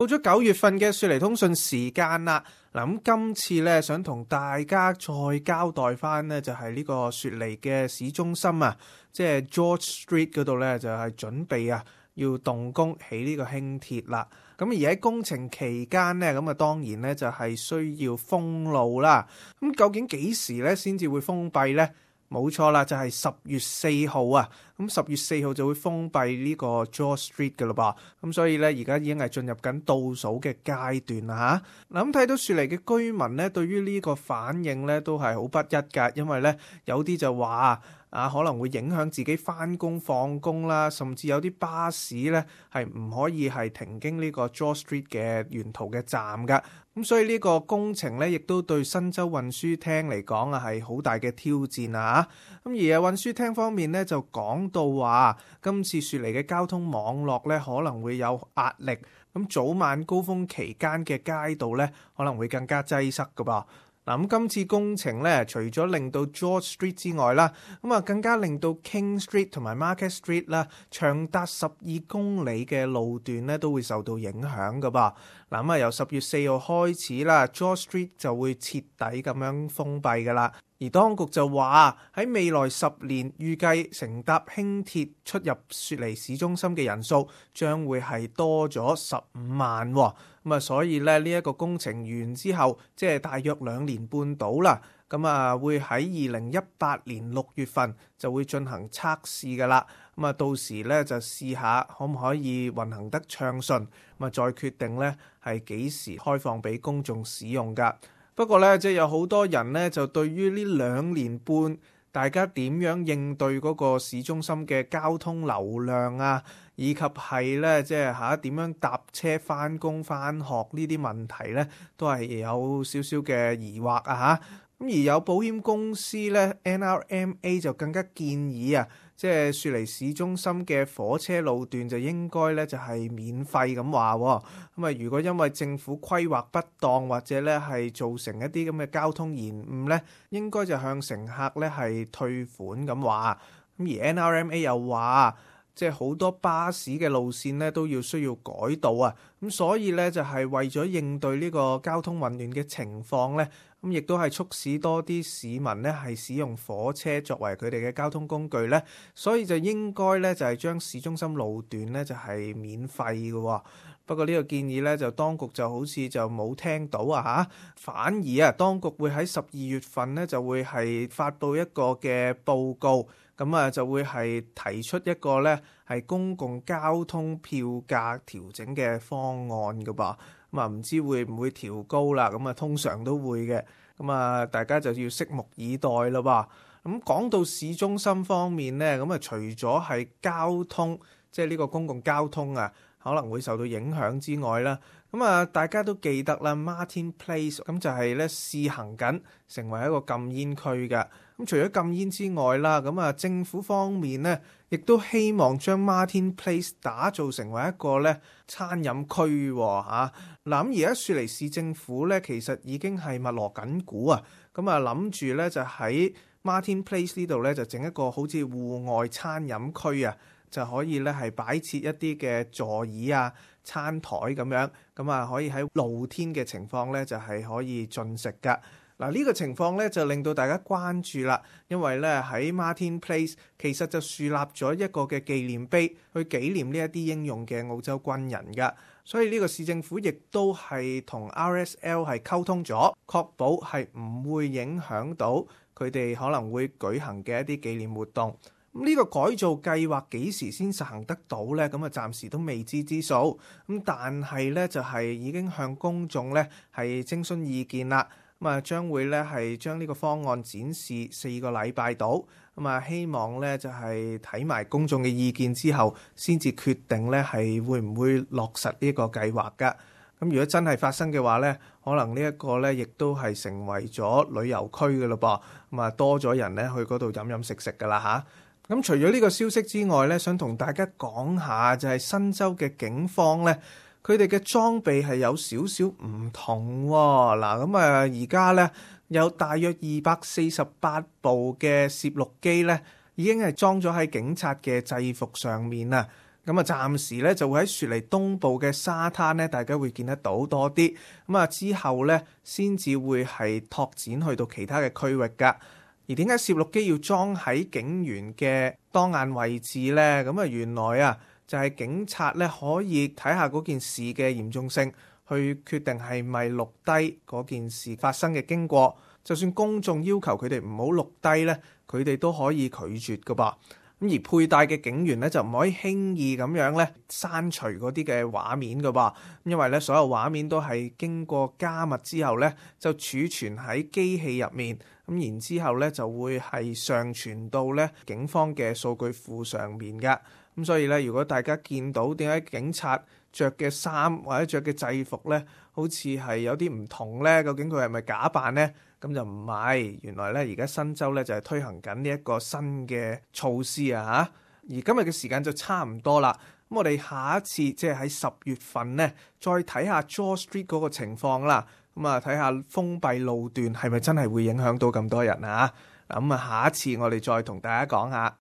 到咗9月份嘅雪梨通訊時間啦，嗱咁今次咧想同大家再交代翻呢，就係呢個雪梨嘅市中心啊，即係 George Street 嗰度咧就係準備啊要動工起呢個輕鐵啦。咁而喺工程期間呢，咁啊當然咧就係需要封路啦。咁究竟幾時咧先至會封閉呢？冇錯啦，就係10月4號啊！咁10月4號就會封閉呢個 George Street 嘅咯噃。咁所以咧，而家已經係進入緊倒數嘅階段啦嚇。嗱咁睇到雪梨嘅居民咧，對於呢個反應咧都係好不一㗎，因為咧有啲就話可能會影響自己返工放工啦，甚至有啲巴士咧係唔可以係停經呢個 George Street 嘅沿途嘅站㗎。咁所以呢個工程咧，亦都對新州運輸廳嚟講啊，係好大嘅挑戰啊！咁而運輸廳方面咧，就講到話，今次雪梨嘅交通網絡咧可能會有壓力，咁早晚高峰期間嘅街道咧可能會更加擠塞㗎噃。嗱咁今次工程咧，除咗令到 George Street 之外啦，咁啊更加令到 King Street 同埋 Market Street 啦，長達12公里嘅路段咧都會受到影響㗎噃。嗱咁由10月4號開始啦 ，George Street 就會徹底咁樣封閉㗎啦。而當局就話喺未來10年，預計乘搭輕鐵出入雪梨市中心嘅人數將會係多咗15萬喎。咁所以咧呢一個工程完之後，即係大約2年半到啦。咁會喺2018年6月份就會進行測試㗎啦。咁到時咧就試下可唔可以運行得暢順，再決定咧係幾時開放俾公眾使用㗎。不過咧，即係有好多人咧，就對於呢2年半大家點樣應對嗰個市中心嘅交通流量啊，以及係咧即係點樣搭車返工返學呢啲問題咧，都係有少少嘅疑惑啊嚇。咁而有保險公司咧 NRMA 就更加建議啊，即係雪梨市中心嘅火車路段就應該咧就係免費咁話。咁如果因為政府規劃不當或者咧係造成一啲咁嘅交通延誤咧，應該就向乘客咧係退款咁話。咁而 NRMA 又話，即係好多巴士嘅路線咧都需要改道啊。咁所以咧就係為咗應對呢個交通混亂嘅情況咧。咁亦都係促使多啲市民咧係使用火車作為佢哋嘅交通工具咧，所以就應該咧就係將市中心路段咧就係免費嘅。不過呢個建議咧就當局就好似就冇聽到啊嚇，反而啊當局會喺12月份咧就會係發布一個嘅報告，咁就會係提出一個咧係公共交通票價調整嘅方案㗎噃。唔知會唔會調高啦？通常都會嘅。大家就要拭目以待咯噃。講到市中心方面咧，除咗係交通，即係呢個公共交通啊，可能會受到影響之外啦。大家都記得啦 ，Martin Place 咁就係咧試行緊成為一個禁煙區嘅。除咗禁煙之外啦，政府方面咧，亦都希望將 Martin Place 打造成為一個咧餐飲區嚇。而家雪梨市政府咧，其實已經係密鑼緊鼓啊。諗住咧就喺 Martin Place 呢度咧就整一個好似戶外餐飲區啊，就可以咧係擺設一啲嘅座椅啊、餐台咁樣，可以喺露天嘅情況咧就係可以進食㗎。呢個情況咧就令到大家關注啦，因為咧喺 Martin Place 其實就樹立咗一個嘅紀念碑，去紀念呢一啲英勇嘅澳洲軍人㗎。所以呢個市政府亦都係同 RSL 係溝通咗，確保係唔會影響到佢哋可能會舉行嘅一啲紀念活動。呢個改造計劃幾時先實行得到呢？暫時都未知之數。但係咧就係已經向公眾咧係徵詢意見啦。將會咧係將呢個方案展示4個禮拜到，希望咧就係睇埋公眾嘅意見之後，先至決定咧係會唔會落實呢個計劃㗎。如果真係發生嘅話咧，可能呢一個咧亦都係成為咗旅遊區㗎咯噃，多咗人咧去嗰度飲飲食食㗎啦嚇。除咗呢個消息之外咧，想同大家講下就係新州嘅警方咧。佢哋嘅裝備係有少少唔同喎。而家咧有大約248部嘅攝錄機咧，已經係裝咗喺警察嘅制服上面啦。咁啊，暫時咧就會喺雪梨東部嘅沙灘咧，大家會見得到多啲。咁啊，之後咧先至會係拓展去到其他嘅區域㗎。而點解攝錄機要裝喺警員嘅當眼位置呢？咁啊，原來啊就係警察咧可以睇下嗰件事嘅嚴重性，去決定係咪錄低嗰件事發生嘅經過。就算公眾要求佢哋唔好錄低咧，佢哋都可以拒絕㗎噃。咁而佩戴嘅警員咧就唔可以輕易咁樣咧刪除嗰啲嘅畫面㗎噃，因為咧所有畫面都係經過加密之後咧就儲存喺機器入面，咁然之後咧就會係上傳到咧警方嘅數據庫上面㗎。咁所以咧，如果大家見到點解警察着嘅衫或者着嘅制服咧，好似係有啲唔同咧，究竟佢係咪假扮咧？咁就唔係，原來咧而家新州咧就係推行緊呢一個新嘅措施啊嚇。而今日嘅時間就差唔多啦，咁我哋下一次即係喺10月份咧，再睇下 George Street 嗰個情況啦。咁啊，睇下封閉路段係咪真係會影響到咁多人啊？咁啊，下一次我哋再同大家講下。